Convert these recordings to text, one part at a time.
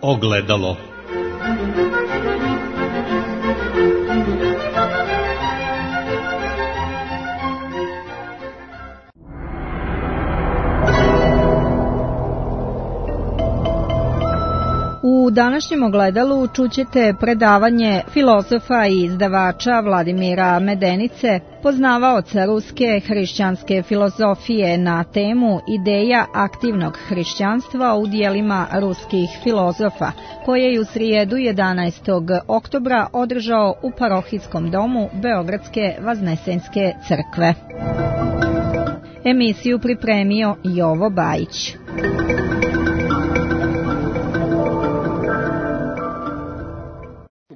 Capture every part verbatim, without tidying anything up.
ogledalo. U današnjem ogledalu čućete predavanje filozofa i izdavača Vladimira Medenice, poznavaoca ruske hrišćanske filozofije, na temu ideja aktivnog hrišćanstva u dijelima ruskih filozofa, koje je u srijedu jedanaestog oktobra održao u parohijskom domu Beogradske Vaznesenske crkve. Emisiju pripremio Jovo Bajić.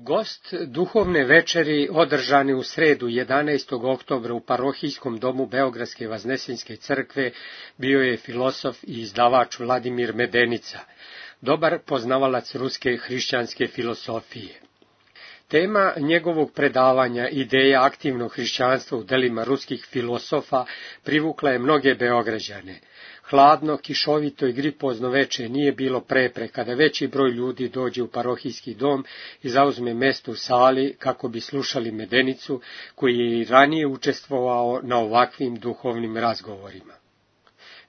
Gost duhovne večeri održane u sredu jedanaestog oktobra u parohijskom domu Beogradske Vaznesenske crkve bio je filozof i izdavač Vladimir Medenica, dobar poznavalac ruske hrišćanske filozofije. Tema njegovog predavanja, ideja aktivnog hrišćanstva u delima ruskih filozofa, privukla je mnoge Beograđane. Hladno, kišovito i gripozno veče nije bilo prepreka da veći broj ljudi dođe u parohijski dom i zauzme mesto u sali kako bi slušali Medenicu, koji je i ranije učestvovao na ovakvim duhovnim razgovorima.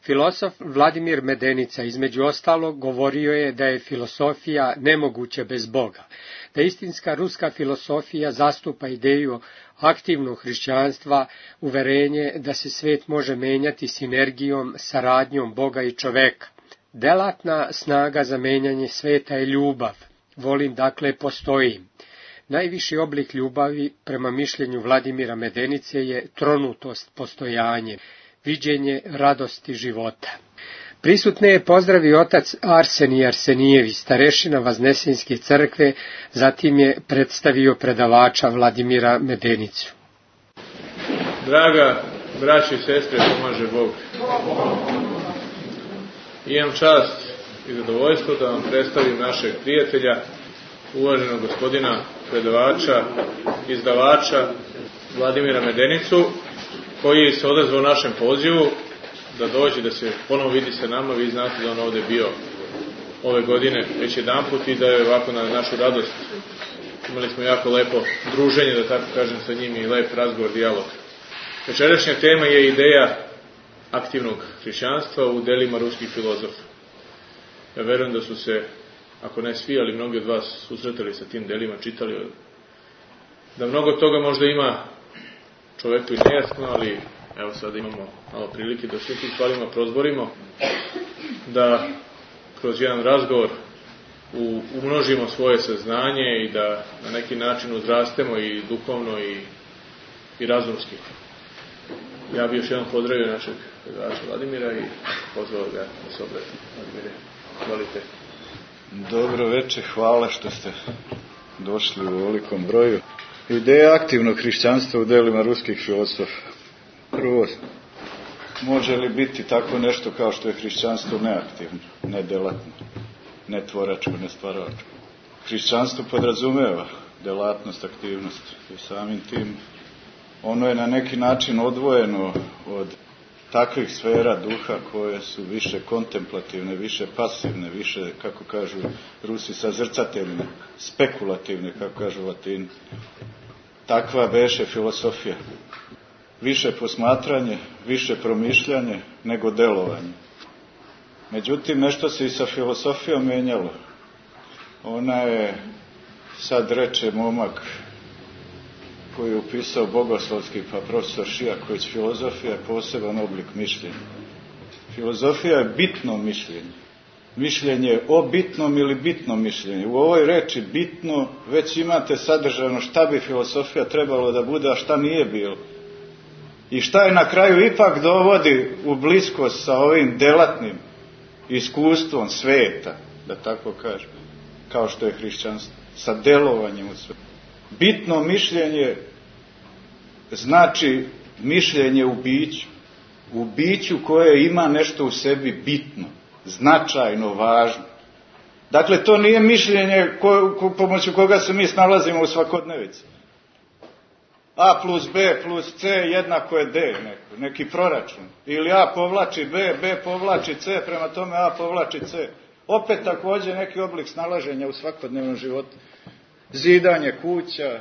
Filozof Vladimir Medenica između ostalog govorio je da je filozofija nemoguća bez Boga, da istinska ruska filozofija zastupa ideju aktivnog hrišćanstva, uverenje da se svet može menjati sinergijom, saradnjom Boga i čoveka. Delatna snaga za menjanje sveta je ljubav. Volim, dakle, postojim. Najviši oblik ljubavi, prema mišljenju Vladimira Medenice, je tronutost postojanje, viđenje radosti života. Prisutne je pozdravio otac Arsenij Arsenijević, starešina Vaznesenske crkve, zatim je predstavio predavača Vladimira Medenicu. Draga braćo i sestre, pomaže Bog. Imam čast i zadovoljstvo da vam predstavim našeg prijatelja, uvaženog gospodina predavača, izdavača Vladimira Medenicu, koji se odazvao našem pozivu da dođe, da se ponovo vidi sa nama. Vi znate da on ovde bio ove godine već jedan put i da je ovako na našu radost. Imali smo jako lepo druženje, da tako kažem, sa njim i lep razgovor, dijalog. Večerašnja tema je ideja aktivnog hrišćanstva u delima ruskih filozofa. Ja verujem da su se, ako ne svi, ali mnogi od vas susretali sa tim delima, čitali, da mnogo toga možda ima čoveku i nejasno, ali evo sada imamo malo prilike da sve tim stvarima prozborimo, da kroz jedan razgovor umnožimo svoje saznanje i da na neki način uzrastemo i duhovno i, i razumski. Ja bih još jednom pozdravio našeg predavača Vladimira i pozvao ga da se obrati. Vladimire, hvalite. Dobro večer, hvala što ste došli u velikom broju. Ideja aktivnog hrišćanstva u delima ruskih filozofa. Prvo, može li biti tako nešto kao što je hrišćanstvo neaktivno, nedelatno, netvoračko, nestvaračko? Hrišćanstvo podrazumeva delatnost, aktivnost i samim tim ono je na neki način odvojeno od takvih sfera duha koje su više kontemplativne, više pasivne, više, kako kažu Rusi, sazrcateljne, spekulativne, kako kažu Latini. Takva beše filozofija. Više posmatranje, više promišljanje nego delovanje. Međutim, nešto se i sa filozofijom menjalo. Ona je, sad reče momak koji je upisao bogoslovski, pa profesor Šijaković, filozofija je poseban oblik mišljenja. Filozofija je bitno mišljenje. Mišljenje o bitnom ili bitnom mišljenju. U ovoj reči bitno već imate sadržano šta bi filozofija trebalo da bude, a šta nije bilo. I šta je na kraju ipak dovodi u bliskost sa ovim delatnim iskustvom sveta, da tako kažem, kao što je hrišćanstvo, sa delovanjem u svetu. Bitno mišljenje znači mišljenje u biću, u biću koje ima nešto u sebi bitno, značajno, važno. Dakle, to nije mišljenje ko, ko, pomoću koga se mi snalazimo u svakodnevici. A plus B plus C jednako je D, neko, neki proračun. Ili A povlači B, B povlači C, prema tome A povlači C. Opet također neki oblik snalaženja u svakodnevnom životu. Zidanje kuća,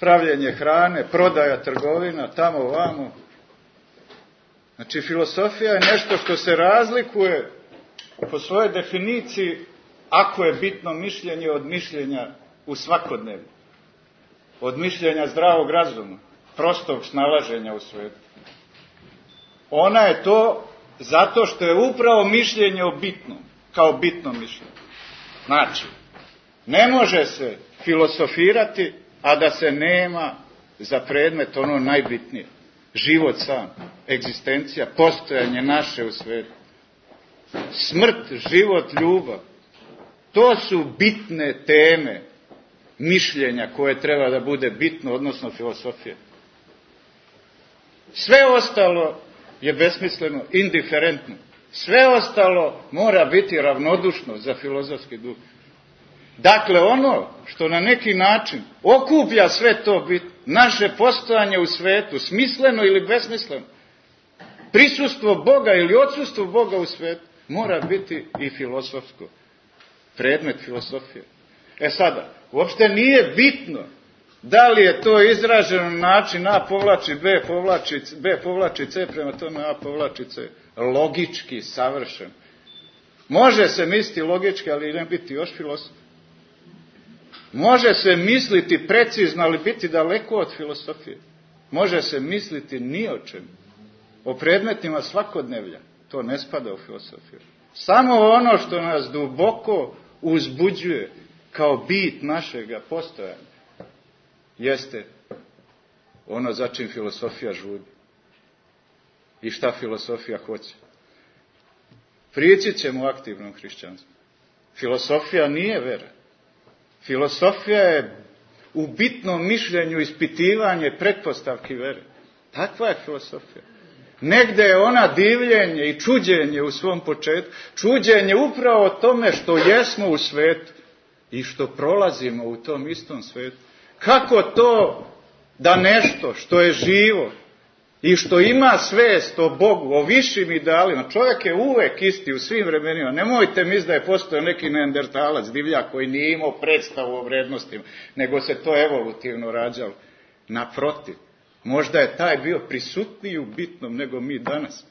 pravljenje hrane, prodaja trgovina, tamo vamo. Znači, filosofija je nešto što se razlikuje po svojoj definiciji ako je bitno mišljenje od mišljenja u svakodnevnu. Od mišljenja zdravog razuma, prostog snalaženja u svijetu. Ona je to zato što je upravo mišljenje o bitnom, kao bitno mišljenje. Znači, ne može se filosofirati, a da se nema za predmet ono najbitnije. Život sam, egzistencija, postojanje naše u svijetu. Smrt, život, ljubav. To su bitne teme mišljenja koje treba da bude bitno, odnosno filosofije. Sve ostalo je besmisleno, indiferentno. Sve ostalo mora biti ravnodušno za filozofski duh. Dakle, ono što na neki način okuplja sve to bit, naše postojanje u svetu, smisleno ili besmisleno, prisustvo Boga ili odsustvo Boga u svetu, mora biti i filosofsko. Predmet filosofije. E sada, uopšte nije bitno da li je to izraženo na način A povlači B, povlači, B povlači C, prema tome A povlači C. Logički, savršen. Može se misliti logički, ali ne biti još filosof. Može se misliti precizno, ali biti daleko od filosofije. Može se misliti ni o čemu. O predmetima svakodnevlja. To ne spada u filosofiju. Samo ono što nas duboko uzbuđuje kao bit našega postojanja jeste ono za čim filosofija žudi. I šta filosofija hoće. Prići ćemo u aktivnom hrišćanstvu. Filosofija nije vera. Filosofija je u bitnom mišljenju ispitivanje pretpostavki vere. Takva je filosofija. Negde je ona divljenje i čuđenje u svom početku. Čuđenje upravo o tome što jesmo u svetu i što prolazimo u tom istom svetu. Kako to da nešto što je živo i što ima svest o Bogu, o višim idealima, čovjek je uvek isti u svim vremenima. Nemojte misliti da je postojao neki neandertalac, divljak koji nije imao predstavu o vrednostima, nego se to evolutivno rađalo. Naprotiv, možda je taj bio prisutniji u bitnom nego mi danas,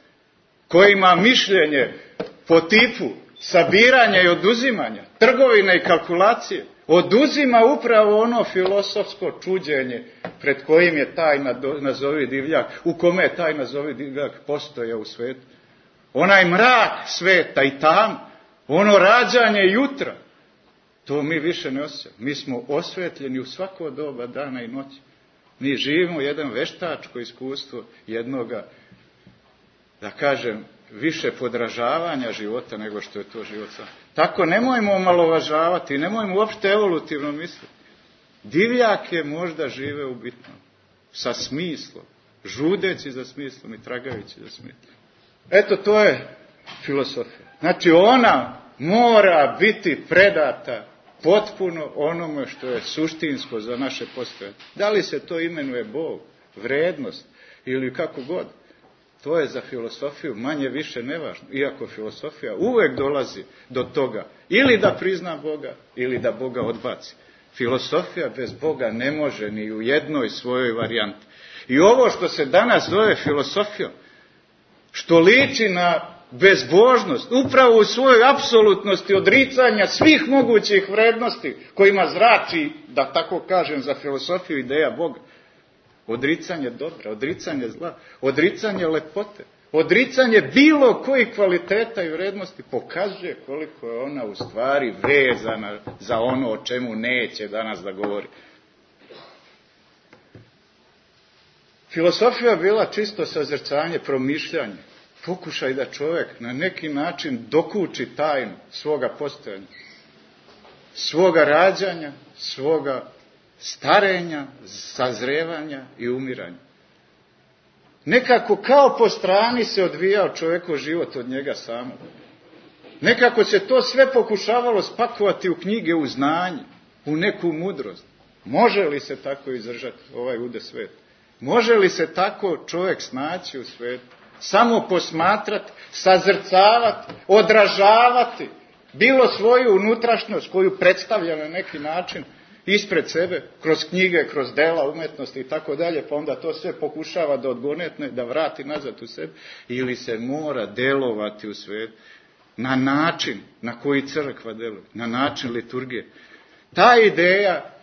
koji ima mišljenje po tipu sabiranja i oduzimanja, trgovine i kalkulacije. Oduzima upravo ono filosofsko čuđenje pred kojim je taj nazovi divljak, u kome je taj nazovi divljak postoje u svetu. Onaj mrak sveta i tam, ono rađanje jutra, to mi više ne osjećamo. Mi smo osvetljeni u svako doba dana i noći. Mi živimo jedan veštačko iskustvo jednoga, da kažem, više podražavanja života nego što je to život sam. Tako nemojmo omalovažavati, nemojmo uopšte evolutivno misliti. Divljake možda žive u bitnom, sa smislom, žudeći za smislom i tragajući za smislom. Eto, to je filosofija. Znači, ona mora biti predata potpuno onome što je suštinsko za naše postojanje. Da li se to imenuje Bog, vrednost ili kako god, to je za filosofiju manje više nevažno. Iako filosofija uvek dolazi do toga ili da prizna Boga ili da Boga odbaci. Filosofija bez Boga ne može ni u jednoj svojoj varijanti. I ovo što se danas zove filosofijom, što liči na bezbožnost, upravo u svojoj apsolutnosti odricanja svih mogućih vrednosti kojima zrači, da tako kažem, za filosofiju ideja Boga. Odricanje dobra, odricanje zla, odricanje lepote, odricanje bilo kojih kvaliteta i vrednosti pokazuje koliko je ona u stvari vezana za ono o čemu neće danas da govori. Filosofija je bila čisto sazrcanje, promišljanje, pokušaj da čovjek na neki način dokuči tajnu svoga postojanja, svoga rađanja, svoga starenja, sazrevanja i umiranja. Nekako kao po strani se odvijao čovjekov život od njega samog. Nekako se to sve pokušavalo spakovati u knjige, u znanje, u neku mudrost. Može li se tako izdržati ovaj ude svet? Može li se tako čovjek snaći u svetu? Samo posmatrati, sazrcavati, odražavati bilo svoju unutrašnjost koju predstavlja na neki način ispred sebe, kroz knjige, kroz dela umetnosti i tako dalje, pa onda to sve pokušava da odgonetne, da vrati nazad u sebe, ili se mora delovati u svijetu na način na koji crkva deluje, na način liturgije. Ta ideja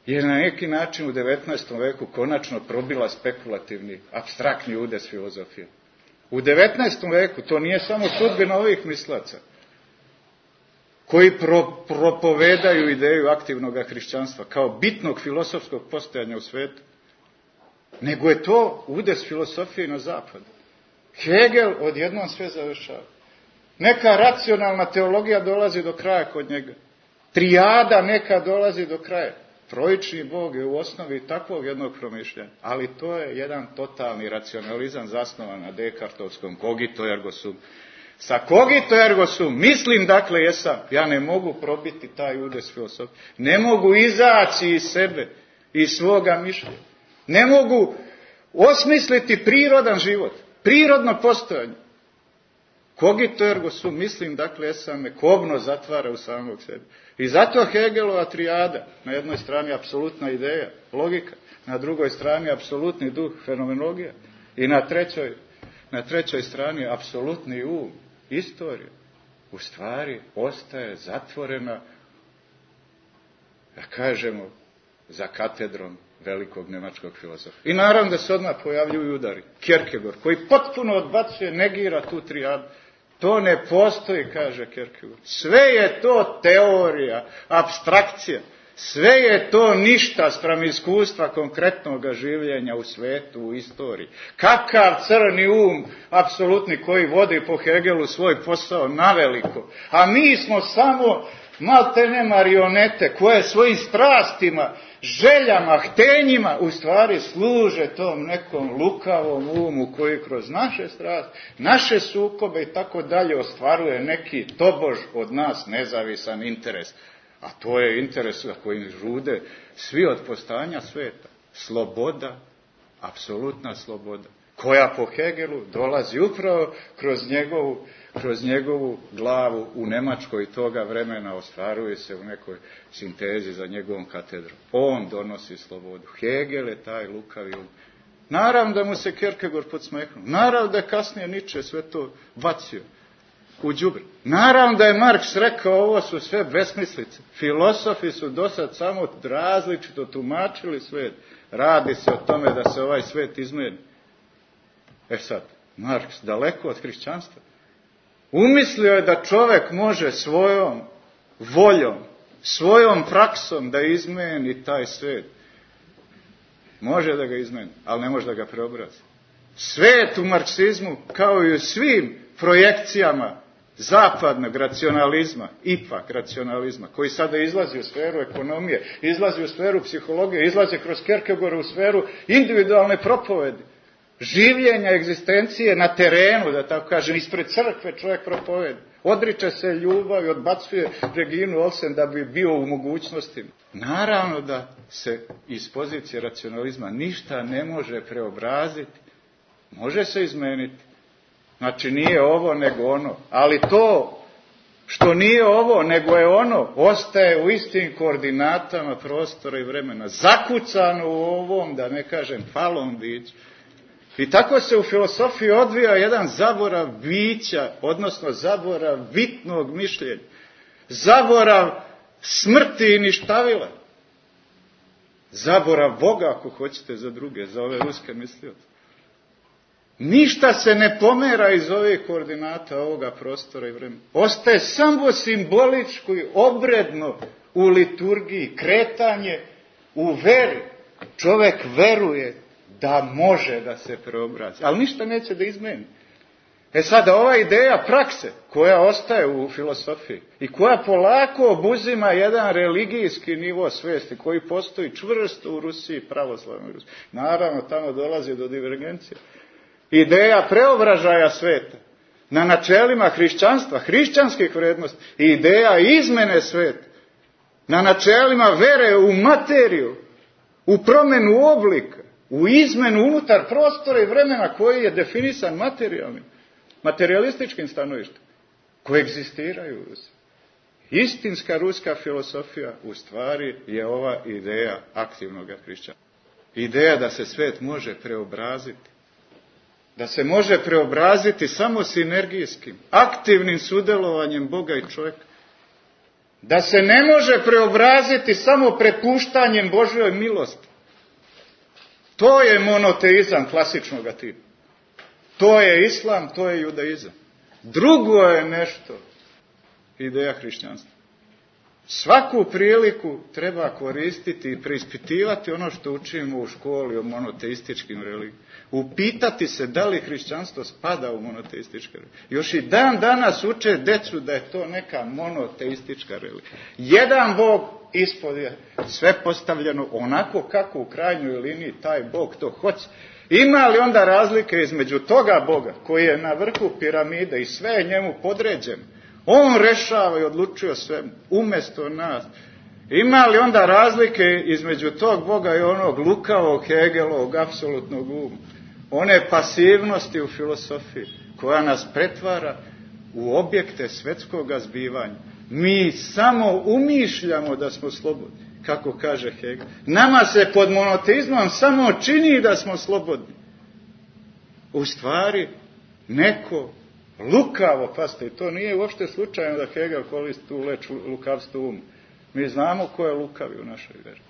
je na neki način u devetnaestom veku konačno probila spekulativni, apstraktni udes filozofije. U devetnaestom veku to nije samo sudbina ovih mislaca koji pro, propovedaju ideju aktivnog hrišćanstva kao bitnog filosofskog postojanja u svijetu, nego je to udes filosofije na zapadu. Hegel odjednom sve završava. Neka racionalna teologija dolazi do kraja kod njega. Trijada neka dolazi do kraja. Trojični Bog je u osnovi takvog jednog promišljanja, ali to je jedan totalni racionalizam zasnovan na Descartovskom cogito ergo sum. Sa cogito ergo sum, mislim dakle jesam, ja ne mogu probiti taj udes filosofije, ne mogu izaći iz sebe, iz svoga mišljenja, ne mogu osmisliti prirodan život, prirodno postojanje. Cogito ergo sum, mislim dakle jesam, me kobno zatvara u samog sebe. I zato Hegelova trijada, na jednoj strani apsolutna ideja, logika, na drugoj strani apsolutni duh, fenomenologija, i na trećoj, na trećoj strani apsolutni um, istorija, u stvari ostaje zatvorena, da kažemo, za katedrom velikog nemačkog filozofa. I naravno da se odmah pojavljuju udari. Kierkegaard, koji potpuno odbacuje, negira tu trijadu. To ne postoji, kaže Kierkegaard. Sve je to teorija, apstrakcija. Sve je to ništa spram iskustva konkretnog življenja u svetu, u istoriji. Kakav crni um, apsolutni, koji vodi po Hegelu svoj posao naveliko. A mi smo samo maltene marionete koje svojim strastima, željama, htenjima u stvari služe tom nekom lukavom umu koji kroz naše strasti, naše sukobe i tako dalje ostvaruje neki tobož od nas nezavisan interes. A to je interes za koji žude svi od postojanja sveta. Sloboda, apsolutna sloboda, koja po Hegelu dolazi upravo kroz njegovu, kroz njegovu glavu u Nemačkoj toga vremena, ostvaruje se u nekoj sintezi za njegovom katedrom. On donosi slobodu. Hegel je taj lukavi um. Naravno da mu se Kierkegaard podsmehnuo. Naravno da je kasnije Nietzsche sve to bacio u đubre. Naravno da je Marks rekao, ovo su sve besmislice. Filosofi su dosad samo različito tumačili svet. Radi se o tome da se ovaj svet izmeni. E sad, Marks daleko od hrišćanstva umislio je da čovjek može svojom voljom, svojom praksom da izmeni taj svet. Može da ga izmeni, ali ne može da ga preobrazi. Svet u marksizmu, kao i u svim projekcijama zapadnog racionalizma, ipak racionalizma, koji sada izlazi u sferu ekonomije, izlazi u sferu psihologije, izlazi kroz Kierkegaarda u sferu individualne propovedi, življenja egzistencije na terenu, da tako kažem, ispred crkve čovjek propovedi. Odriče se ljubav i odbacuje Reginu Olsen da bi bio u mogućnostima. Naravno da se iz pozicije racionalizma ništa ne može preobraziti. Može se izmeniti. Znači nije ovo nego ono. Ali to što nije ovo nego je ono, ostaje u istim koordinatama prostora i vremena. Zakucano u ovom, da ne kažem, falom biću. I tako se u filosofiji odvija jedan zaborav bića, odnosno zaborav bitnog mišljenja. Zaborav smrti i ništavila. Zaborav Boga, ako hoćete, za druge, za ove ruske mislioce. Ništa se ne pomera iz ovih koordinata ovoga prostora i vremena. Ostaje samo simboličko i obredno u liturgiji, kretanje u veri. Čovjek veruje da može da se preobrazi, ali ništa neće da izmeni. E sada, ova ideja prakse koja ostaje u filosofiji i koja polako obuzima jedan religijski nivo svijesti koji postoji čvrsto u Rusiji, pravoslavnoj Rusiji. Naravno, tamo dolazi do divergencije. Ideja preobražaja sveta na načelima hrišćanstva, hrišćanskih vrednosti, i ideja izmene sveta na načelima vere u materiju, u promjenu oblika, u izmenu unutar prostora i vremena koji je definisan materijalnim, materialističkim stanovištem. koegzistiraju. Istinska ruska filosofija u stvari je ova ideja aktivnog hrišćanstva. Ideja da se svet može preobraziti. Da se može preobraziti samo sinergijskim, aktivnim sudjelovanjem Boga i čovjeka. Da se ne može preobraziti samo prepuštanjem Božjoj milosti. To je monoteizam klasičnog tipa. To je islam, to je judaizam. Drugo je nešto ideja hrišćanstva. Svaku priliku treba koristiti i preispitivati ono što učimo u školi o monoteističkim religijama. Upitati se da li hrišćanstvo spada u monoteističke religije. Još i dan danas uče decu da je to neka monoteistička religija. Jedan Bog ispod je sve postavljeno onako kako u krajnjoj liniji taj Bog to hoće. Ima li onda razlike između toga Boga koji je na vrhu piramide i sve je njemu podređeno? On rešava i odlučuje sve umjesto nas. Ima li onda razlike između tog Boga i onog lukavog Hegelovog apsolutnog uma? One pasivnosti u filosofiji koja nas pretvara u objekte svetskog zbivanja. Mi samo umišljamo da smo slobodni, kako kaže Hegel. Nama se pod monoteizmom samo čini da smo slobodni. U stvari, neko lukavo, pazite, to nije uopšte slučajno da Hegel koristi tu leč lukavstvo umu. Mi znamo ko je lukavi u našoj veri.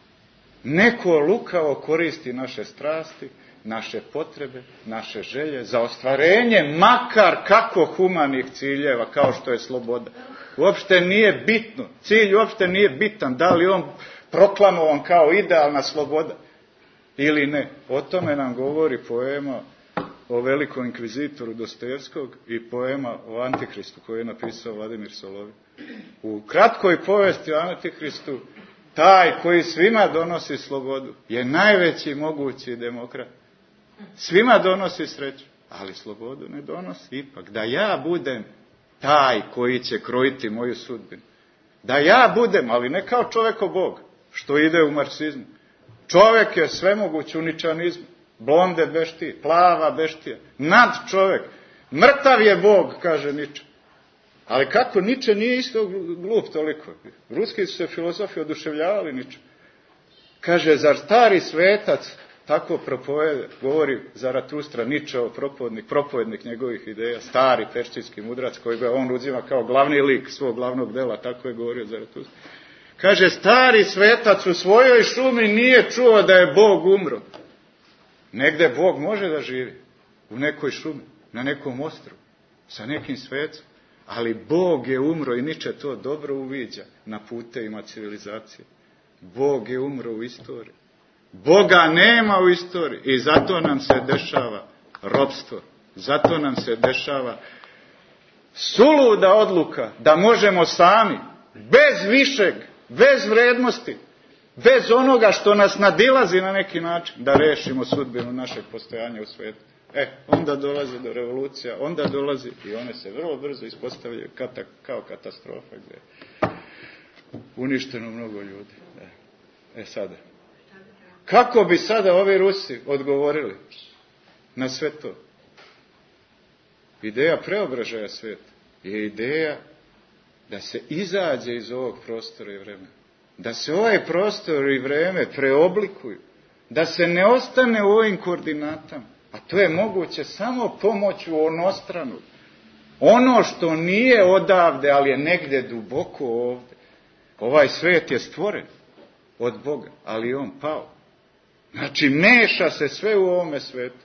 Neko lukavo koristi naše strasti, naše potrebe, naše želje za ostvarenje makar kako humanih ciljeva, kao što je sloboda. Uopšte nije bitno, cilj uopšte nije bitan, da li on proklamovan kao idealna sloboda ili ne. O tome nam govori poema o velikom inkvizitoru Dostojevskog i poema o Antihristu koju je napisao Vladimir Solovin. U kratkoj povesti o Antihristu, taj koji svima donosi slobodu je najveći mogući demokrat. Svima donosi sreću, ali slobodu ne donosi ipak. Da ja budem taj koji će krojiti moju sudbinu. Da ja budem, ali ne kao čovjeko Bog, što ide u marksizmu. Čovjek je svemoguć u ničanizmu. Blonde beštije, plava beštija, nad čovjek. Mrtav je Bog, kaže Niče. Ali kako Niče nije isto glup toliko? Ruski su se filozofi oduševljavali Niče. Kaže, zar stari svetac tako propovede, govori Zaratustra, Ničeov propovednik, propovednik njegovih ideja, stari peršijski mudrac koji ga on uzima kao glavni lik svog glavnog dela, tako je govorio Zaratustra. Kaže, stari svetac u svojoj šumi nije čuo da je Bog umro. Negde Bog može da živi, u nekoj šumi, na nekom ostrvu, sa nekim svecom, ali Bog je umro i Niče to dobro uviđa na putevima civilizacije. Bog je umro u istoriji. Boga nema u istoriji i zato nam se dešava ropstvo, zato nam se dešava suluda odluka da možemo sami, bez višeg, bez vrednosti, bez onoga što nas nadilazi na neki način, da rešimo sudbinu našeg postojanja u svijetu. E, onda dolazi do revolucija, onda dolazi i one se vrlo brzo ispostavljaju kata, kao katastrofa gdje je uništeno mnogo ljudi. E, e sada, kako bi sada ovi Rusi odgovorili na sve to? Ideja preobražaja svijeta je ideja da se izađe iz ovog prostora i vremena. Da se ovaj prostor i vreme preoblikuju. Da se ne ostane u ovim koordinatama. A to je moguće samo pomoću onostranu. Ono što nije odavde, ali je negdje duboko ovdje. Ovaj svijet je stvoren od Boga, ali je on pao. Znači, meša se sve u ovome svijetu.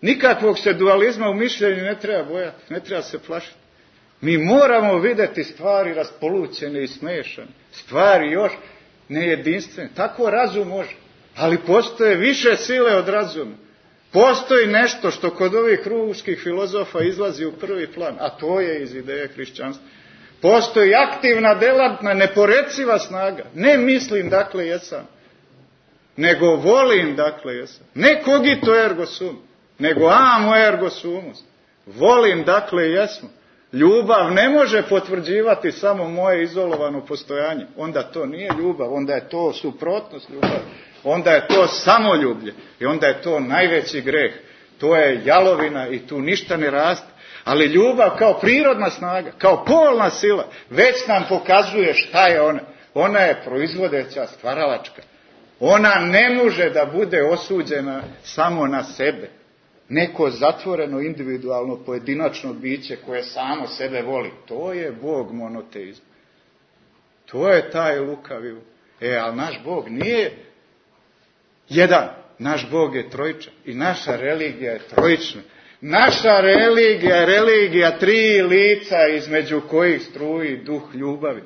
Nikakvog se dualizma u mišljenju ne treba bojati, ne treba se plašiti. Mi moramo vidjeti stvari raspolućene i smešane. Stvari još nejedinstvene. Tako razum može. Ali postoje više sile od razuma. Postoji nešto što kod ovih ruskih filozofa izlazi u prvi plan, a to je iz ideje hrišćanstva. Postoji aktivna, delatna, neporeciva snaga. Ne mislim, dakle, jesam. Nego volim, dakle, jesam. Ne cogito ergo sum, nego amo ergo sumus. Volim, dakle, jesmo. Ljubav ne može potvrđivati samo moje izolovano postojanje. Onda to nije ljubav, onda je to suprotnost ljubavi. Onda je to samoljublje i onda je to najveći greh. To je jalovina i tu ništa ne raste. Ali ljubav kao prirodna snaga, kao polna sila, već nam pokazuje šta je ona. Ona je proizvodeća, stvaralačka. Ona ne može da bude osuđena samo na sebe. Neko zatvoreno, individualno, pojedinačno biće koje samo sebe voli. To je Bog monoteizma. To je taj lukavi. E, ali naš Bog nije jedan. Naš Bog je trojičan. I naša religija je trojična. Naša religija je religija tri lica između kojih struji duh ljubavi.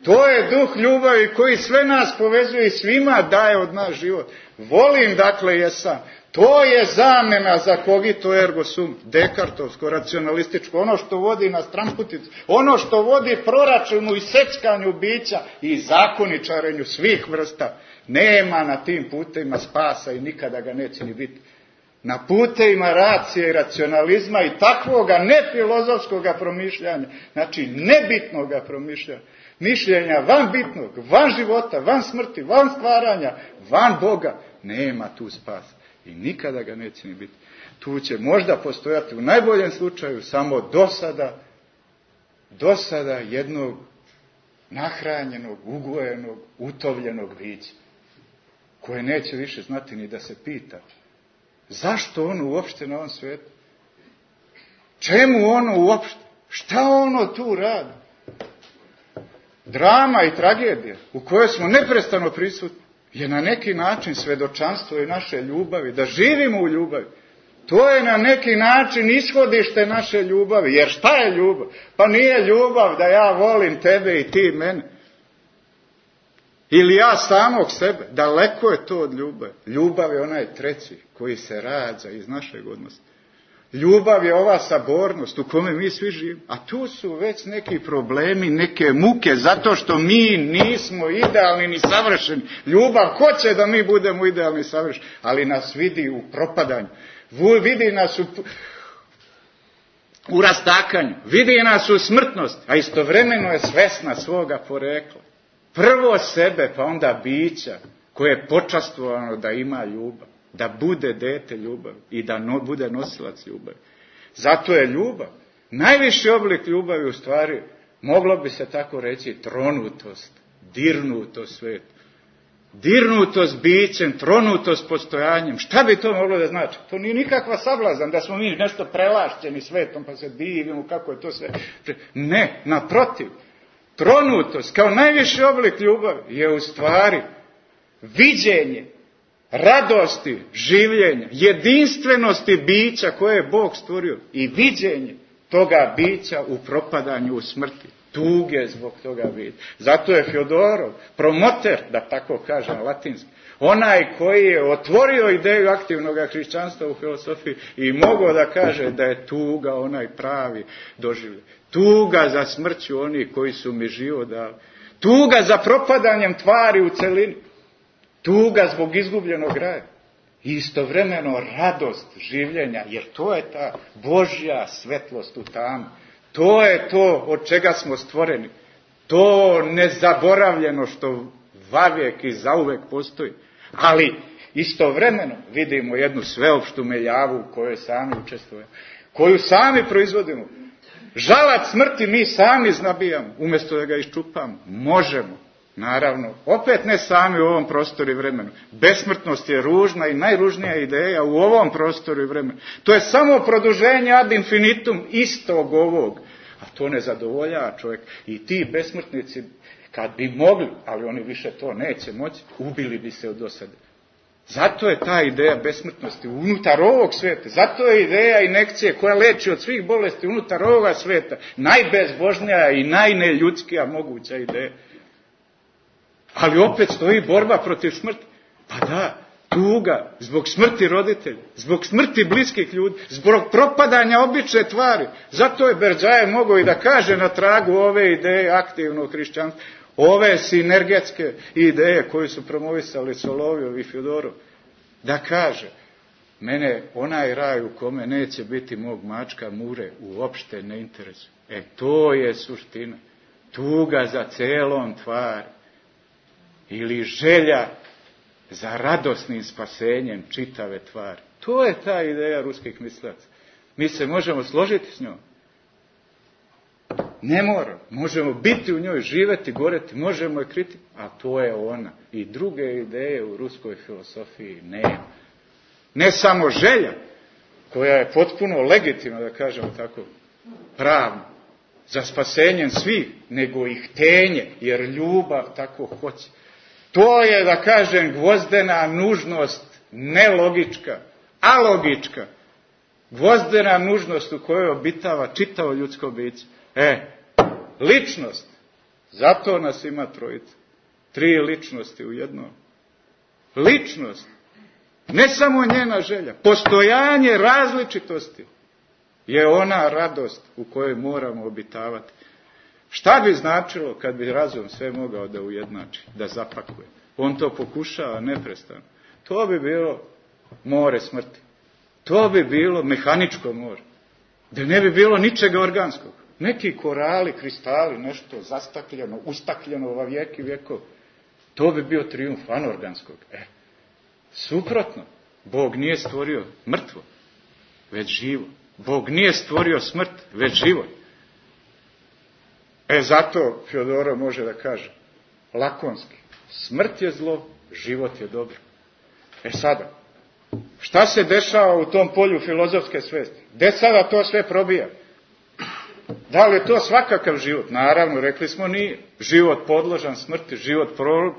To je duh ljubavi koji sve nas povezuje i svima daje od nas život. Volim, dakle, jesam. To je zamena za cogito ergo sum, dekartovsko, racionalističko, ono što vodi na stranputicu, ono što vodi proračunu i seckanju bića i zakoničarenju svih vrsta. Nema na tim putevima spasa i nikada ga neće ni biti. Na putevima racije i racionalizma i takvoga nefilozofskoga promišljanja, znači nebitnoga promišljanja, mišljenja van bitnog, van života, van smrti, van stvaranja, van Boga, nema tu spasa. I nikada ga neće ni biti. Tu će možda postojati u najboljem slučaju samo dosada, dosada jednog nahranjenog, ugojenog, utovljenog bića, koje neće više znati ni da se pita zašto ono uopšte na ovom svijetu? Čemu ono uopšte? Šta ono tu radi? Drama i tragedija u kojoj smo neprestano prisutni je na neki način svedočanstvo i naše ljubavi, da živimo u ljubavi. To je na neki način ishodište naše ljubavi. Jer šta je ljubav? Pa nije ljubav da ja volim tebe i ti mene. Ili ja samog sebe. Daleko je to od ljubavi. Ljubav je onaj treći koji se rađa iz našeg odnosa. Ljubav je ova sabornost u kome mi svi živimo. A tu su već neki problemi, neke muke, zato što mi nismo idealni ni savršeni. Ljubav hoće da mi budemo idealni i savršeni, ali nas vidi u propadanju. Vidi nas u, u rastakanju. Vidi nas u smrtnosti, a istovremeno je svesna svoga porekla. Prvo sebe, pa onda bića koje je počastvovano da ima ljubav. Da bude dete ljubavi i da no, bude nosilac ljubavi. Zato je ljubav. Najviši oblik ljubavi u stvari, moglo bi se tako reći, tronutost, dirnutost sveta. Dirnutost bićem, tronutost postojanjem. Šta bi to moglo da znači? To nije nikakva sablazan da smo mi nešto prelašćeni svetom pa se divimo kako je to sve. Ne, naprotiv. Tronutost kao najviši oblik ljubavi je u stvari viđenje radosti, življenja, jedinstvenosti bića koje je Bog stvorio i viđenje toga bića u propadanju, u smrti, tuge zbog toga bića. Zato je Fjodorov promoter, da tako kažem latinski, onaj koji je otvorio ideju aktivnog hrišćanstva u filozofiji i mogao da kaže da je tuga onaj pravi doživljaj. Tuga za smrću onih koji su mi život dali. Tuga za propadanjem tvari u celini. Tuga zbog izgubljenog raja. I istovremeno radost življenja, jer to je ta Božja svetlost u tamu. To je to od čega smo stvoreni. To nezaboravljeno što vavijek i zauvek postoji. Ali istovremeno vidimo jednu sveopštu meljavu u kojoj sami učestvujemo. Koju sami proizvodimo. Žalac smrti mi sami znabijamo, umjesto da ga iščupamo. Možemo. Naravno, opet ne sami u ovom prostoru i vremenu. Besmrtnost je ružna i najružnija ideja u ovom prostoru i vremenu. To je samo produženje ad infinitum istog ovog. A to ne zadovoljava čovjek. I ti besmrtnici, kad bi mogli, ali oni više to neće moći, ubili bi se od dosade. Zato je ta ideja besmrtnosti unutar ovog sveta. Zato je ideja injekcije koja leči od svih bolesti unutar ovoga sveta najbezbožnija i najneljudskija moguća ideja. Ali opet stoji borba protiv smrti. Pa da, tuga, zbog smrti roditelja, zbog smrti bliskih ljudi, zbog propadanja obične tvari. Zato je Berdjajev mogao i da kaže na tragu ove ideje aktivnog hrišćanstva, ove sinergetske ideje koje su promovisali Solovjov i Fjodorov, da kaže, mene onaj raj u kome neće biti mog mačka mure uopšte ne interesuje. E, to je suština. Tuga za celom tvari. Ili želja za radosnim spasenjem čitave tvari. To je ta ideja ruskih mislaca. Mi se možemo složiti s njom Ne mora. Možemo biti u njoj, živeti, goreti, možemo je kriti, a to je ona. I druge ideje u ruskoj filosofiji nema. Ne samo želja, koja je potpuno legitimna, da kažemo tako, pravno, za spasenjem svih, nego i htenje, jer ljubav tako hoće. To je, da kažem, gvozdena nužnost, nelogička, alogička, gvozdena nužnost u kojoj obitava čitavo ljudsko biće. E, ličnost, zato nas ima trojica, tri ličnosti u jednom. Ličnost, ne samo njena želja, postojanje različitosti je ona radost u kojoj moramo obitavati. Šta bi značilo kad bi razum sve mogao da ujednači, da zapakuje? On to pokušava neprestano. To bi bilo more smrti. To bi bilo mehaničko more. Da ne bi bilo ničega organskog. Neki korali, kristali, nešto zastakljeno, ustakljeno ova vijeki vjekov. To bi bio trijumf anorganskog. E, suprotno. Bog nije stvorio mrtvo, već živo. Bog nije stvorio smrt, već život. E, zato Fjodorov može da kaže lakonski. Smrt je zlo, život je dobro. E sada, šta se dešava u tom polju filozofske svesti? Gde sada to sve probija? Da li je to svakakav život? Naravno, rekli smo nije. Život podložan smrti, život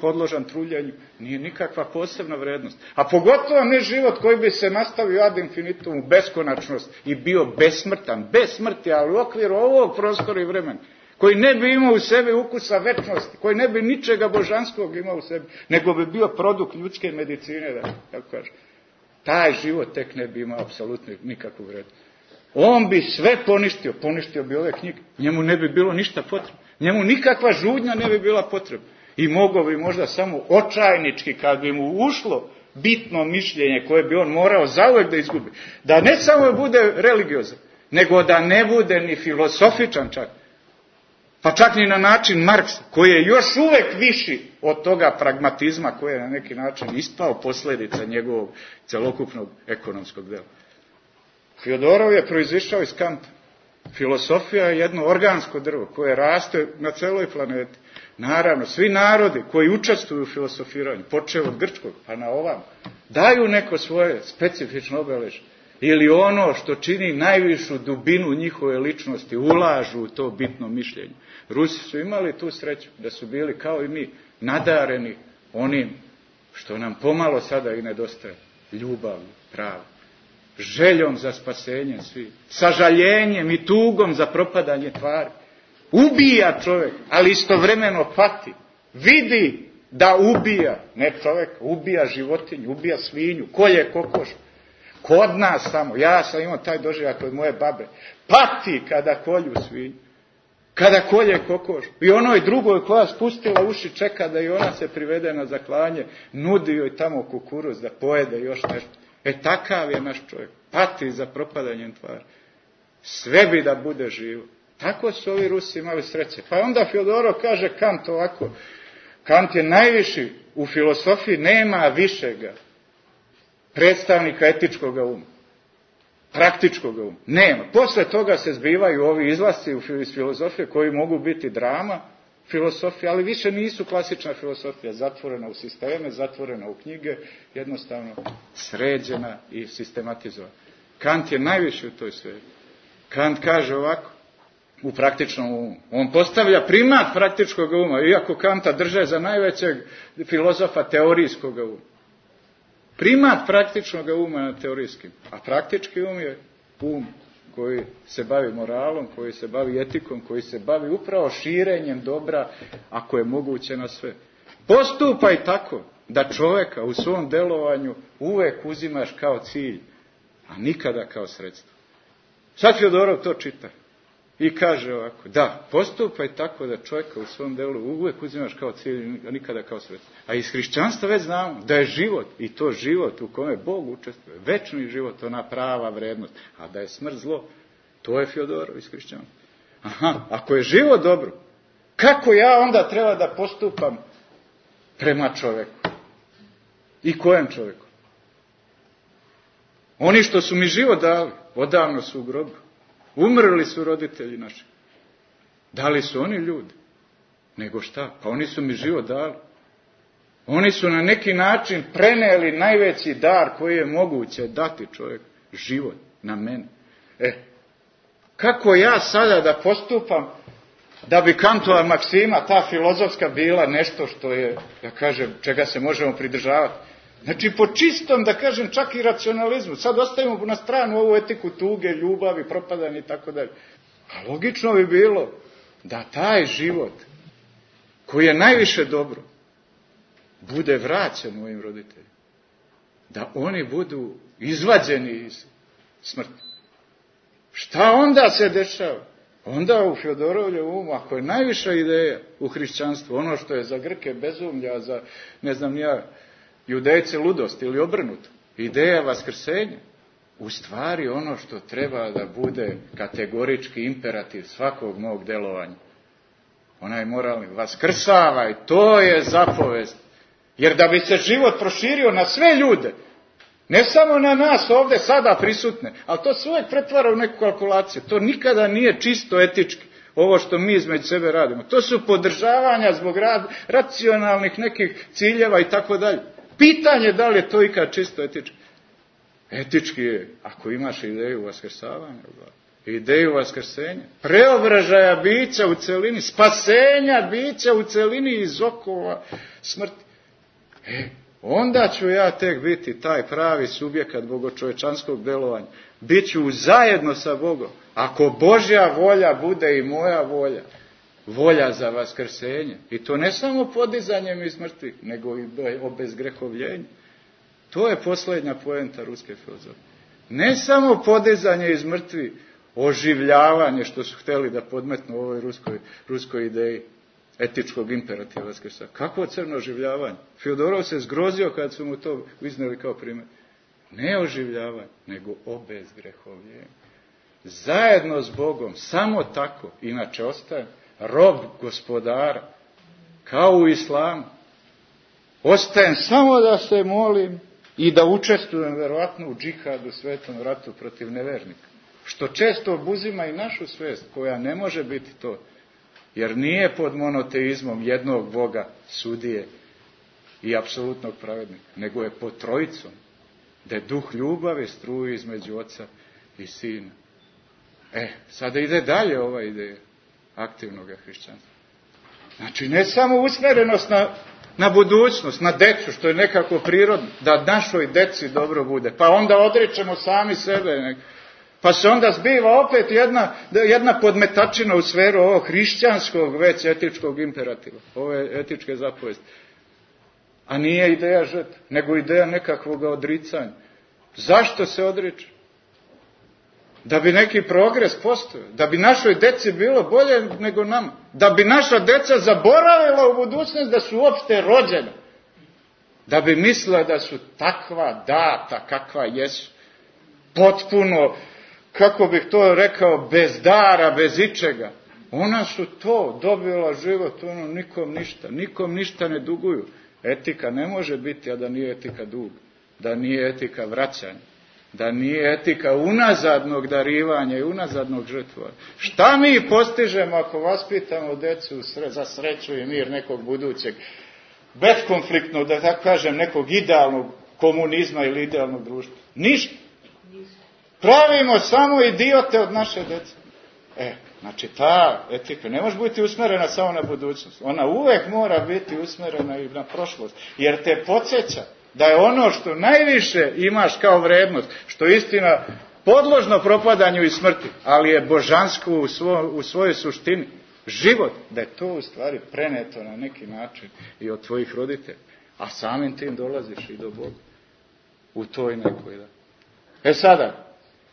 podložan truljenju, nije nikakva posebna vrednost. A pogotovo ne život koji bi se nastavio ad infinitum u beskonačnost i bio besmrtan, bez smrti, ali u okviru ovog prostora i vremena, koji ne bi imao u sebi ukusa večnosti, koji ne bi ničega božanskog imao u sebi, nego bi bio produkt ljudske medicine, da tako kažem. Taj život tek ne bi imao apsolutno nikakvu vrednost. On bi sve poništio, poništio bi ove knjige, njemu ne bi bilo ništa potrebno, njemu nikakva žudnja ne bi bila potrebna. I mogao bi možda samo očajnički, kad bi mu ušlo bitno mišljenje koje bi on morao zauvek da izgubi, da ne samo bude religiozan, nego da ne bude ni filosofičan čak, pa čak ni na način Marksa, koji je još uvek viši od toga pragmatizma koji je na neki način ispao posljedica njegovog celokupnog ekonomskog dela. Fjodorov je proizišao iz Kanta. Filosofija je jedno organsko drvo koje raste na celoj planeti. Naravno, svi narodi koji učestvuju u filosofiranju, počeo od grčkog pa na ovam, daju neko svoje specifično obeležje. Ili ono što čini najvišu dubinu njihove ličnosti, ulažu u to bitno mišljenje. Rusi su imali tu sreću da su bili kao i mi nadareni onim što nam pomalo sada i nedostaje. Ljubavlju, pravo. Željom za spasenje svi, sažaljenjem i tugom za propadanje tvari. Ubija čovjek, ali istovremeno pati. Vidi da ubija, ne čovjek, ubija životinju, ubija svinju, kolje kokoš. Kod nas samo, ja sam imao taj doživljaj kod moje babe, pati kada kolju svinju, kada kolje kokoš. I onoj drugoj koja spustila uši čeka da i ona se privede na zaklanje, nudi joj tamo kukuruz da pojede još nešto. E takav je naš čovjek, pati za propadanjem tvari. Sve bi da bude živo. Tako su ovi Rusi imali sreće. Pa onda Fjodorov kaže Kant ovako, Kant je najviši u filosofiji, nema višega predstavnika etičkog uma, praktičkog uma. Nema. Posle toga se zbivaju ovi izlasci iz filozofije koji mogu biti drama filosofije, ali više nisu klasična filosofija, zatvorena u sisteme, zatvorena u knjige, jednostavno sređena i sistematizovana. Kant je najviši u toj sferi. Kant kaže ovako, u praktičnom umu. On postavlja primat praktičkog uma, iako Kanta drže za najvećeg filozofa teorijskog uma. Primat praktičnog uma na teorijskim. A praktički um je um koji se bavi moralom, koji se bavi etikom, koji se bavi upravo širenjem dobra, ako je moguće na sve. Postupaj tako da čovjeka u svom delovanju uvek uzimaš kao cilj, a nikada kao sredstvo. Sad Fjodorov to čita i kaže ovako, da, postupaj tako da čovjeka u svom delu uvek uzimaš kao cilj, a nikada kao sredstvo. A iz hrišćanstva već znamo da je život, i to život u kome Bog učestvuje, večni život, ona prava vrednost, a da je smrt zlo, to je Fjodorov iz hrišćanstva. Aha, ako je život dobro, kako ja onda treba da postupam prema čovjeku? I kojem čovjeku? Oni što su mi život dali, odavno su u grobu. Umrli su roditelji naši. Da li su oni ljudi? Nego šta? Pa oni su mi život dali. Oni su na neki način preneli najveći dar koji je moguće dati čovjeku. Život na mene. E, kako ja sada da postupam da bi Kantova maksima, ta filozofska, bila nešto što je, da kažem, čega se možemo pridržavati? Znači, po čistom, da kažem, čak i racionalizmu. Sad ostavimo na stranu ovu etiku tuge, ljubavi, propadanja i tako dalje. A logično bi bilo da taj život, koji je najviše dobro, bude vraćen mojim roditeljima. Da oni budu izvađeni iz smrti. Šta onda se dešava? Onda u Fjodorovljevom umu, ako je najviša ideja u hrišćanstvu, ono što je za Grke bezumlja, za, ne znam ja, Judejce ludost ili obrnuto, ideja vaskrsenja, u stvari ono što treba da bude kategorički imperativ svakog mog delovanja. Onaj moralni, vaskrsavaj, to je zapovest. Jer da bi se život proširio na sve ljude, ne samo na nas ovdje sada prisutne, ali to se uvijek pretvara u neku kalkulaciju. To nikada nije čisto etički, ovo što mi između sebe radimo. To su podržavanja zbog rad, racionalnih nekih ciljeva i tako dalje. Pitanje da li je to ikad čisto etički. Etički je, ako imaš ideju vaskrsavanja, ideju vaskrsenja, preobražaja bića u celini, spasenja bića u celini iz okova smrti. E, onda ću ja tek biti taj pravi subjekat bogočovečanskog delovanja. Biću zajedno sa Bogom. Ako Božja volja bude i moja volja, volja za vaskrsenje. I to ne samo podizanjem iz mrtvih, nego i obezgrehovljenje. To je posljednja poenta ruske filozofije. Ne samo podizanje iz mrtvih, oživljavanje, što su htjeli da podmetnu u ovoj ruskoj, ruskoj ideji etičkog imperativa vaskrsa. Kakvo crno oživljavanje? Fjodorov se zgrozio kad su mu to izneli kao primjer. Ne oživljavanje, nego obezgrehovljenje. Zajedno s Bogom, samo tako, inače ostajem rob gospodara, kao u islamu. Ostajem samo da se molim i da učestvujem verovatno u džihadu, svetom ratu protiv nevernika. Što često obuzima i našu svest, koja ne može biti to. Jer nije pod monoteizmom jednog Boga, sudije i apsolutnog pravednika, nego je pod trojicom, da je duh ljubavi struji između oca i sina. E, sada ide dalje ova ideja aktivnog hrišćanstva. Znači, ne samo usmjerenost na, na budućnost, na decu, što je nekako prirodno, da našoj deci dobro bude, pa onda odričemo sami sebe, pa se onda zbiva opet jedna, jedna podmetačina u sferu ovog hrišćanskog već etičkog imperativa, ove etičke zapovesti. A nije ideja žrtve, nego ideja nekakvog odricanja. Zašto se odriče? Da bi neki progres postojao, da bi našoj deci bilo bolje nego nama, da bi naša deca zaboravila u budućnost da su uopšte rođene, da bi mislila da su takva data kakva jesu, potpuno, kako bih to rekao, bez dara, bez ičega. Ona su to dobila život, ono, nikom ništa, nikom ništa ne duguju. Etika ne može biti, a da nije etika duga, da nije etika vraćanja, da nije etika unazadnog darivanja i unazadnog žrtvovanja. Šta mi postižemo ako vaspitamo decu za sreću i mir nekog budućeg, beskonfliktnog, da tako kažem, nekog idealnog komunizma ili idealnog društva? Ništa. Pravimo samo idiote od naše dece. E, znači ta etika ne može biti usmjerena samo na budućnost. Ona uvek mora biti usmjerena i na prošlost. Jer te podsjeća da je ono što najviše imaš kao vrednost, što je istina podložno propadanju i smrti, ali je božansko u, svo, u svojoj suštini, život, da je to u stvari preneto na neki način i od tvojih roditelja. A samim tim dolaziš i do Boga. U toj nekoj, da. E sada,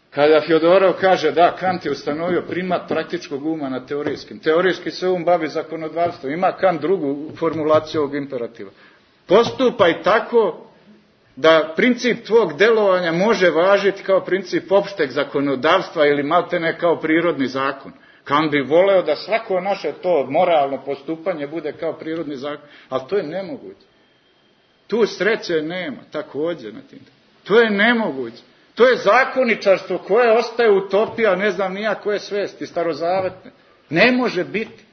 kada Fjodorov kaže da Kant je ustanovio primat praktičkog uma na teorijskim, teorijski se um bavi zakonodavstvom, ima Kant drugu formulaciju ovog imperativa. Postupaj tako da princip tvog delovanja može važiti kao princip opšteg zakonodavstva ili maltene kao prirodni zakon. Kant bi voleo da svako naše to moralno postupanje bude kao prirodni zakon, ali to je nemoguće. Tu sreće nema, također na tim. To je nemoguće. To je zakoničarstvo koje ostaje utopija, ne znam nija koje svesti, starozavetne. Ne može biti.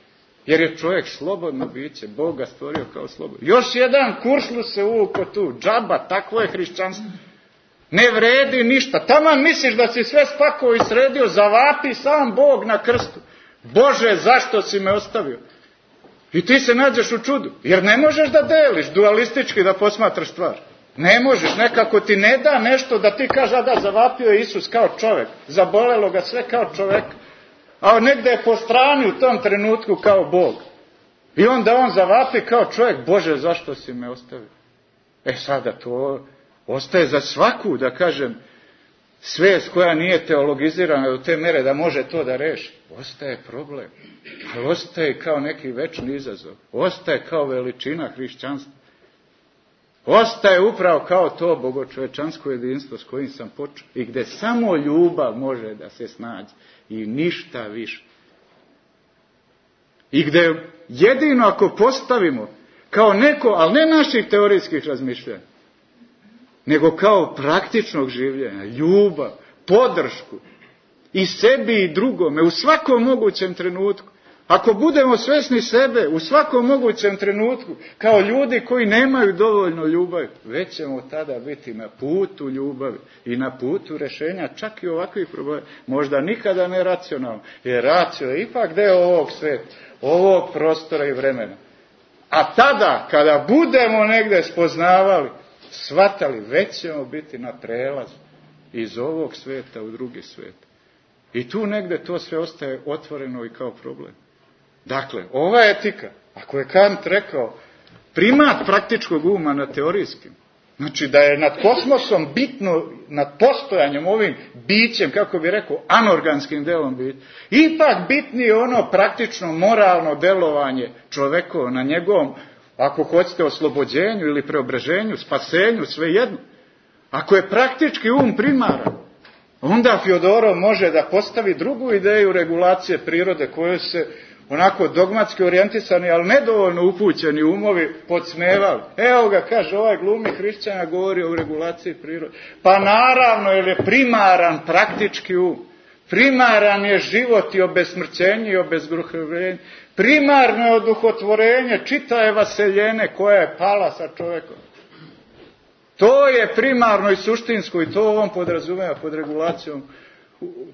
Jer je čovjek slobodno biće. Bog ga stvorio kao slobodno. Još jedan kuršlu se uvuko tu. Džaba, takvo je hrišćanstvo. Ne vredi ništa. Taman misliš da si sve spakao i sredio, zavapi sam Bog na krstu. Bože, zašto si me ostavio? I ti se nađeš u čudu. Jer ne možeš da deliš dualistički da posmatraš stvar. Ne možeš, nekako ti ne da nešto da ti kaže, a da, zavapio je Isus kao čovjek. Zabolelo ga sve kao čovjek. A negde je po strani u tom trenutku kao Bog. I onda on zavapi kao čovjek, Bože, zašto si me ostavio? E sada to ostaje za svaku, da kažem, svijest koja nije teologizirana do te mere da može to da reši. Ostaje problem. Ali ostaje kao neki večni izazov. Ostaje kao veličina hrišćanstva. Ostaje upravo kao to bogočovečansko jedinstvo s kojim sam počeo. I gdje samo ljubav može da se snađe. I ništa više. I gdje jedino ako postavimo kao neko, ali ne naših teorijskih razmišljanja, nego kao praktičnog življenja, ljubav, podršku i sebi i drugome u svakom mogućem trenutku. Ako budemo svjesni sebe u svakom mogućem trenutku kao ljudi koji nemaju dovoljno ljubavi, već ćemo tada biti na putu ljubavi i na putu rješenja čak i ovakvih problema. Možda nikada ne racionalno, jer racio je ipak deo ovog sveta, ovog prostora i vremena. A tada, kada budemo negdje spoznavali, shvatali, već ćemo biti na prelazu iz ovog sveta u drugi svet. I tu negdje to sve ostaje otvoreno i kao problem. Dakle, ova etika, ako je Kant rekao, primat praktičkog uma nad teorijskim, znači da je nad kosmosom bitno, nad postojanjem ovim bićem, kako bi rekao, anorganskim delom biti, ipak bitnije ono praktično moralno delovanje čovekovo na njegovom, ako hoćete, oslobođenju ili preobraženju, spasenju, svejedno. Ako je praktički um primaran, onda Fjodorov može da postavi drugu ideju regulacije prirode koju se onako dogmatski orijentisani, ali nedovoljno upućeni umovi podsmevali. Evo ga, kaže, ovaj glumi hrišćana govori o regulaciji prirode. Pa naravno, jer je primaran praktički um. Primaran je život i obesmrćenje i obezgruhovljenje. Primarno je oduhotvorenje čitave vaseljene koja je pala sa čovjekom. To je primarno i suštinsko i to on podrazumeva pod regulacijom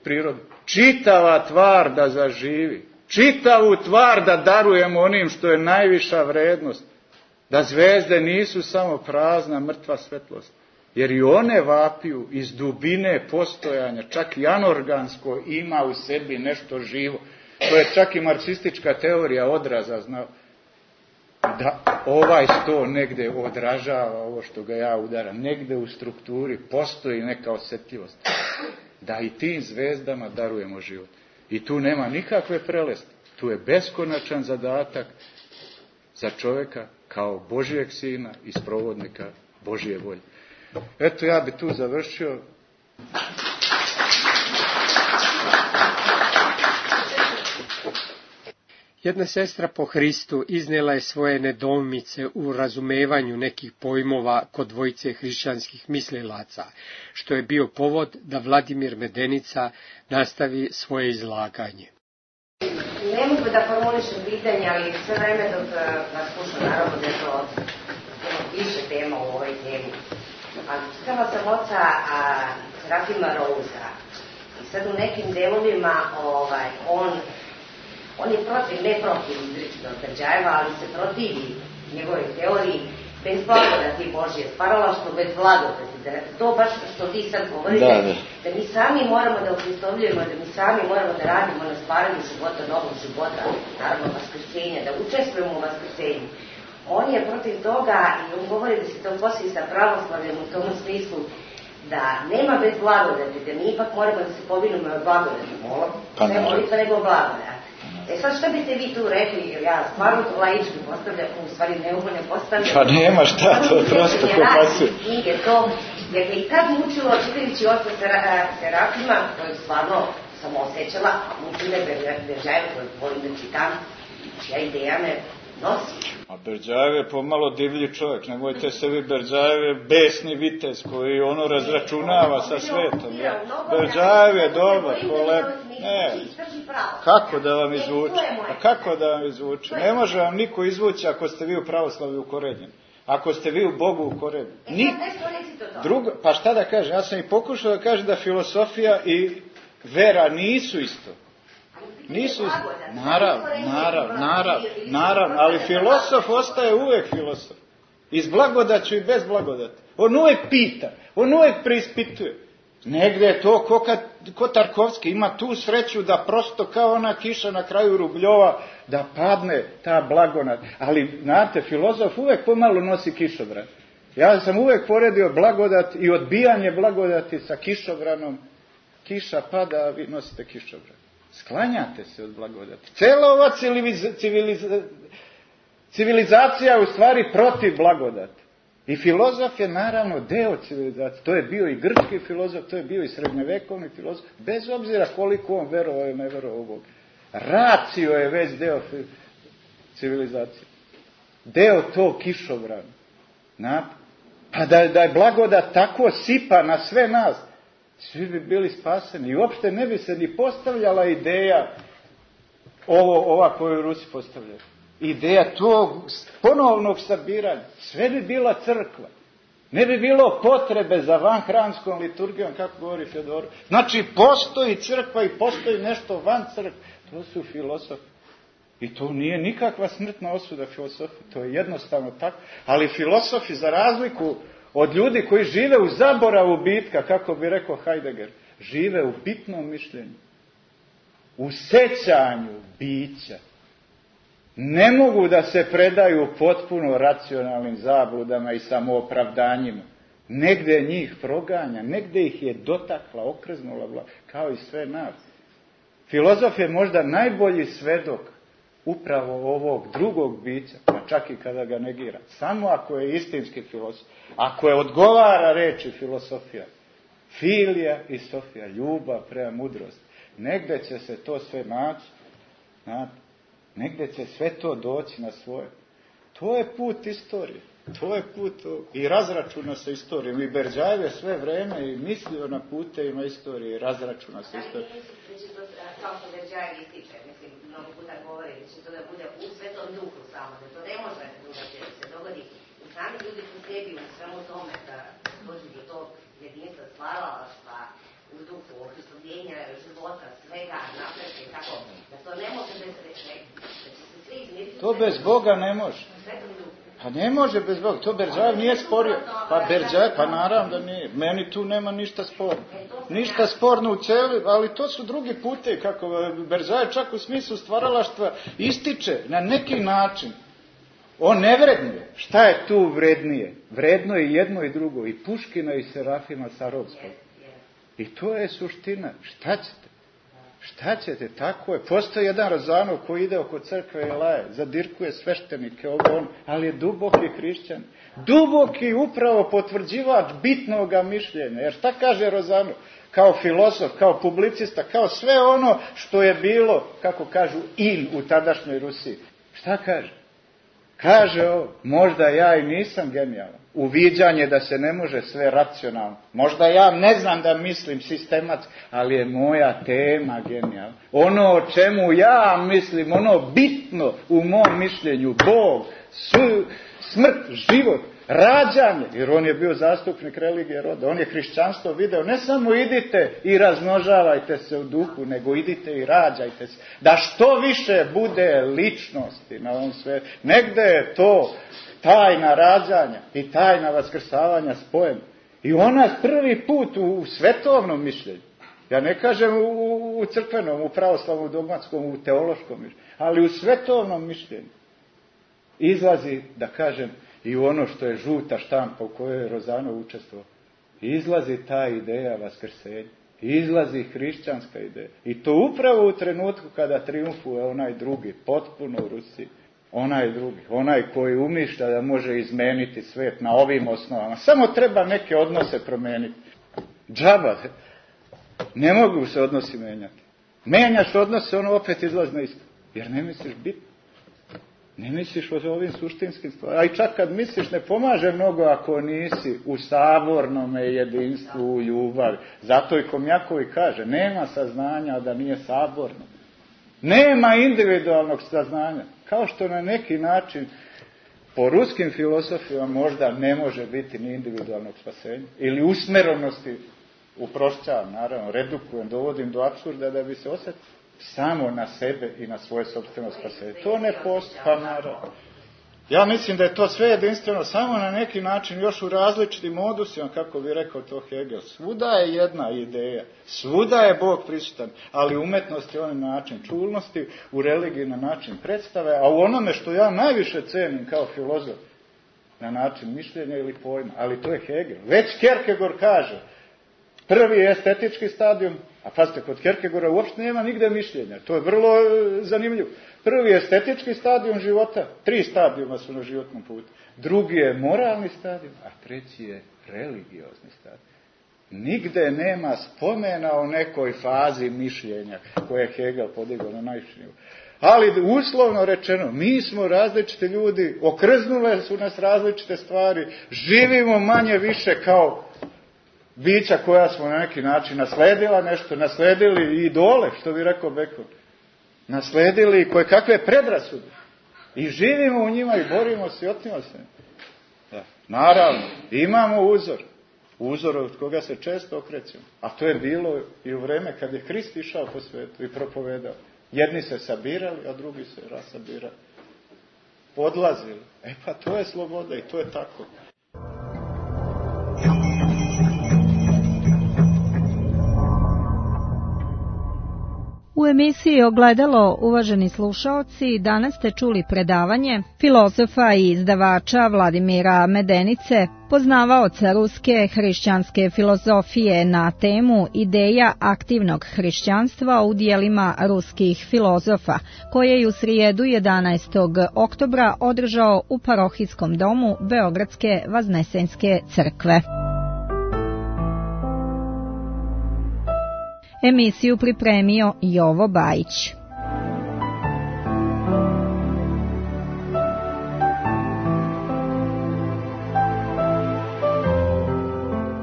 prirode. Čitava tvar da zaživi. Čitavu tvar da darujemo onim što je najviša vrednost. Da zvezde nisu samo prazna, mrtva svetlost. Jer i one vapiju iz dubine postojanja, čak i anorgansko ima u sebi nešto živo. To je čak i marksistička teorija odraza znao. Da ovaj sto negde odražava ovo što ga ja udaram. Negde u strukturi postoji neka osjetljivost. Da i tim zvezdama darujemo život. I tu nema nikakve prelesti. Tu je beskonačan zadatak za čovjeka kao Božijeg sina i sprovodnika Božije volje. Eto, ja bi tu završio. Jedna sestra po Hristu iznijela je svoje nedoumice u razumevanju nekih pojmova kod dvojice hrišćanskih mislilaca, što je bio povod da Vladimir Medenica nastavi svoje izlaganje. Ne mogu da formulišem pitanje, ali sve vreme dok vas slušam, naravno da je to više tema u ovoj temi. Ali čitala sam oca a, Serafima Rouza i sad u nekim delovima ovaj, on, on je protiv, ne protiv izričito Tvrđajeva, ali se protivi njegove teoriji bez blagodati Božje, stvaralaštvo bez blagodati. Da to baš što ti sad govoriš, da, da. da mi sami moramo da upristovljujemo, da mi sami moramo da radimo na stvaranju života, novog života, naravno vaskrsenja, da učestvujemo u vaskrsenju. On je protiv toga i on govori da se to poslije sa pravoslavljem u tom smislu da nema bez blagodati, da mi ipak moramo da se povinimo od blagodati. Pa ne molitva nego blagodat. E sad šta biste vi tu rekli, jer ja stvarno to laički postavljam, u stvari neugodno postavljam. Pa nema šta, to je prosto ko pasuje. Knjige, to, jer me i tad mučilo, čitajući oca Serafima, to je stvarno sam osjećala, mučile Beržajeva, koje volim da čitam, čija ideja me nosi. A Berdjajev je pomalo divlji čovjek, nemojte se vi Berdjajev je besni vitez koji ono razračunava sa svetom. Berdjajev je dobar, koleb... Ne, kako da vam izvuče? A kako da vam izvuče? Ne može vam niko izvući ako ste vi u pravoslavlju ukorenjeni. Ako ste vi u Bogu ukorenjeni. Ni... Drugo, pa šta da kažem, ja sam i pokušao da kažem da filosofija i vera nisu isto. Nisu isto. Naravno, naravno, naravno, naravno, ali filosof ostaje uvek filosof. I s blagodaću i bez blagodati. On uvek pita, on uvek preispituje. Negde je to ko, kad, ko Tarkovski, ima tu sreću da prosto kao ona kiša na kraju Rubljova, da padne ta blagodat. Ali, znate, filozof uvek pomalo nosi kišobran. Ja sam uvek poredio blagodat i odbijanje blagodati sa kišobranom. Kiša pada, a vi nosite kišobran. Sklanjate se od blagodati. Cela ova civiliza, civiliza, civilizacija je u stvari protiv blagodati. I filozof je naravno deo civilizacije. To je bio i grčki filozof, to je bio i srednjevekovni filozof, bez obzira koliko on verovao i ne verovao u Boga. Racio je već deo civilizacije. Deo tog kišobrana. Na, pa da, da je blagodat tako sipa na sve nas, svi bi bili spaseni. I uopšte ne bi se ni postavljala ideja ovo, ova koju Rusi postavljaju. Ideja tog ponovnog sabiranja. Sve bi bila crkva. Ne bi bilo potrebe za vanhramskom liturgijom, kako govori Fjodor. Znači, postoji crkva i postoji nešto van crkve. To su filosofi. I to nije nikakva smrtna osuda filosofi. To je jednostavno tako. Ali filosofi, za razliku od ljudi koji žive u zaboravu bitka, kako bi rekao Heidegger, žive u bitnom mišljenju. U sećanju bića. Ne mogu da se predaju potpuno racionalnim zabludama i samoopravdanjima. Negde njih proganja, negde ih je dotakla, okrznula vlada, kao i sve nas. Filozof je možda najbolji svedok upravo ovog drugog bića, pa čak i kada ga negira. Samo ako je istinski filozof. Ako je odgovara reči filosofija, filija i sofija, ljubav prema mudrosti. Negde će se to sve naći, znate. Negde će sve to doći na svoje. To je put istorije. To je put i razračuna sa istorijom. I Berdjajev je sve vreme i mislio na putevima istorije i razračuna sa istorijom. Ja mislim da će to, kao što Berdjajev ističe, mislim, mnogo puta govori, da će to da bude u svetom duhu samo, da to ne može drugačije da se dogodi. I sami ljudi su sebi u svemu tome da dođu do tog jedinstva, stvaralaštva, u duhu, ohristoljenja, života, svega, napretka i tako, da to ne može bez reči, da će se svi izmiriti. To bez Boga ne može. Pa ne može bez Boga, to Berdjajev nije sporio. Pa Berdjajev, pa naravno da nije. Meni tu nema ništa sporno. Ništa sporno u celi, ali to su drugi putevi, kako Berdjajev čak u smislu stvaralaštva ističe na neki način. On ne vrednuje. Šta je tu vrednije? Vredno je jedno i drugo, i Puškina i Serafima Sarovskog. I to je suština. Šta ćete? Šta ćete? Tako je. Postoji jedan Rozanov koji ide oko crkve i laje, zadirkuje sveštenike, ovo on, ali je duboki hrišćan. Duboki upravo potvrđivač bitnoga mišljenja. Jer šta kaže Rozanov? Kao filozof, kao publicista, kao sve ono što je bilo, kako kažu, in u tadašnjoj Rusiji. Šta kaže? Kaže ovo, možda ja i nisam genijalan. Uviđanje da se ne može sve racionalno. Možda ja ne znam da mislim sistematski, ali je moja tema genijalna. Ono o čemu ja mislim, ono bitno u mom mišljenju, Bog, su, smrt, život, rađanje, jer on je bio zastupnik religije roda, on je hrišćanstvo video, ne samo idite i razmnožavajte se u duhu, nego idite i rađajte se, da što više bude ličnosti na ovom svetu. Negde je to tajna rađanja i tajna vaskrsavanja spojem. I ona prvi put u, u svetovnom mišljenju, ja ne kažem u, u crkvenom, u pravoslavnom, dogmatskom, u teološkom mišljenju, ali u svetovnom mišljenju izlazi, da kažem, i ono što je žuta štampa u kojoj je Rozanov učestvovao. Izlazi ta ideja vaskrsenja. Izlazi hrišćanska ideja. I to upravo u trenutku kada triumfuje onaj drugi, potpuno u Rusiji. Onaj drugi, onaj koji umišlja da može izmeniti svet na ovim osnovama. Samo treba neke odnose promeniti. Džaba, ne mogu se odnosi menjati. Menjaš odnose, ono opet izlazi na isto. Jer ne misliš biti. Ne misliš o ovim suštinskim stvarima. A i čak kad misliš, ne pomaže mnogo ako nisi u sabornome jedinstvu, u ljubavi. Zato i Komjakovi kaže, nema saznanja da nije saborno. Nema individualnog saznanja. Kao što na neki način po ruskim filosofima možda ne može biti ni individualnog spasenja. Ili usmerenosti, uprošćavam, naravno, redukujem, dovodim do apsurda da bi se osjetio samo na sebe i na svoje sopstveno spasenje. To ne postoji, pa naravno. Ja mislim da je to sve jedinstveno, samo na neki način, još u različitim modusima, kako bi rekao to Hegel. Svuda je jedna ideja, svuda je Bog prisutan, ali umetnost je onaj način čulnosti, u religiji na način predstave, a u onome što ja najviše cenim kao filozof, na način mišljenja ili pojma, ali to je Hegel. Već Kierkegaard kaže, prvi je estetički stadijum, a pazite, kod Kierkegaarda uopšte nema nigde mišljenja, to je vrlo zanimljivo. Prvi je estetički stadijum života, tri stadijuma su na životnom putu. Drugi je moralni stadijum, a treći je religiozni stadijum. Nigde nema spomena o nekoj fazi mišljenja koje je Hegel podigao na najviši nivo. Ali uslovno rečeno, mi smo različiti ljudi, okrznule su nas različite stvari, živimo manje više kao bića koja smo na neki način nasledila nešto, nasledili idole, što bi rekao Bacon. Nasledili koje kakve predrasude. I živimo u njima i borimo se i otnimo se. Da. Naravno, imamo uzor. Uzor od koga se često okrećemo. A to je bilo i u vreme kad je Krist išao po svetu i propovedao. Jedni se sabirali, a drugi se rasabirali. Odlazili. E pa to je sloboda i to je tako. U emisiji Ogledalo, uvaženi slušaoci, danas ste čuli predavanje filozofa i izdavača Vladimira Medenice, poznavaoca ruske hrišćanske filozofije na temu Ideja aktivnog hrišćanstva u dijelima ruskih filozofa, koje je u srijedu jedanaestog oktobra održao u parohijskom domu Beogradske Vaznesenske crkve. Emisiju pripremio Jovo Bajić.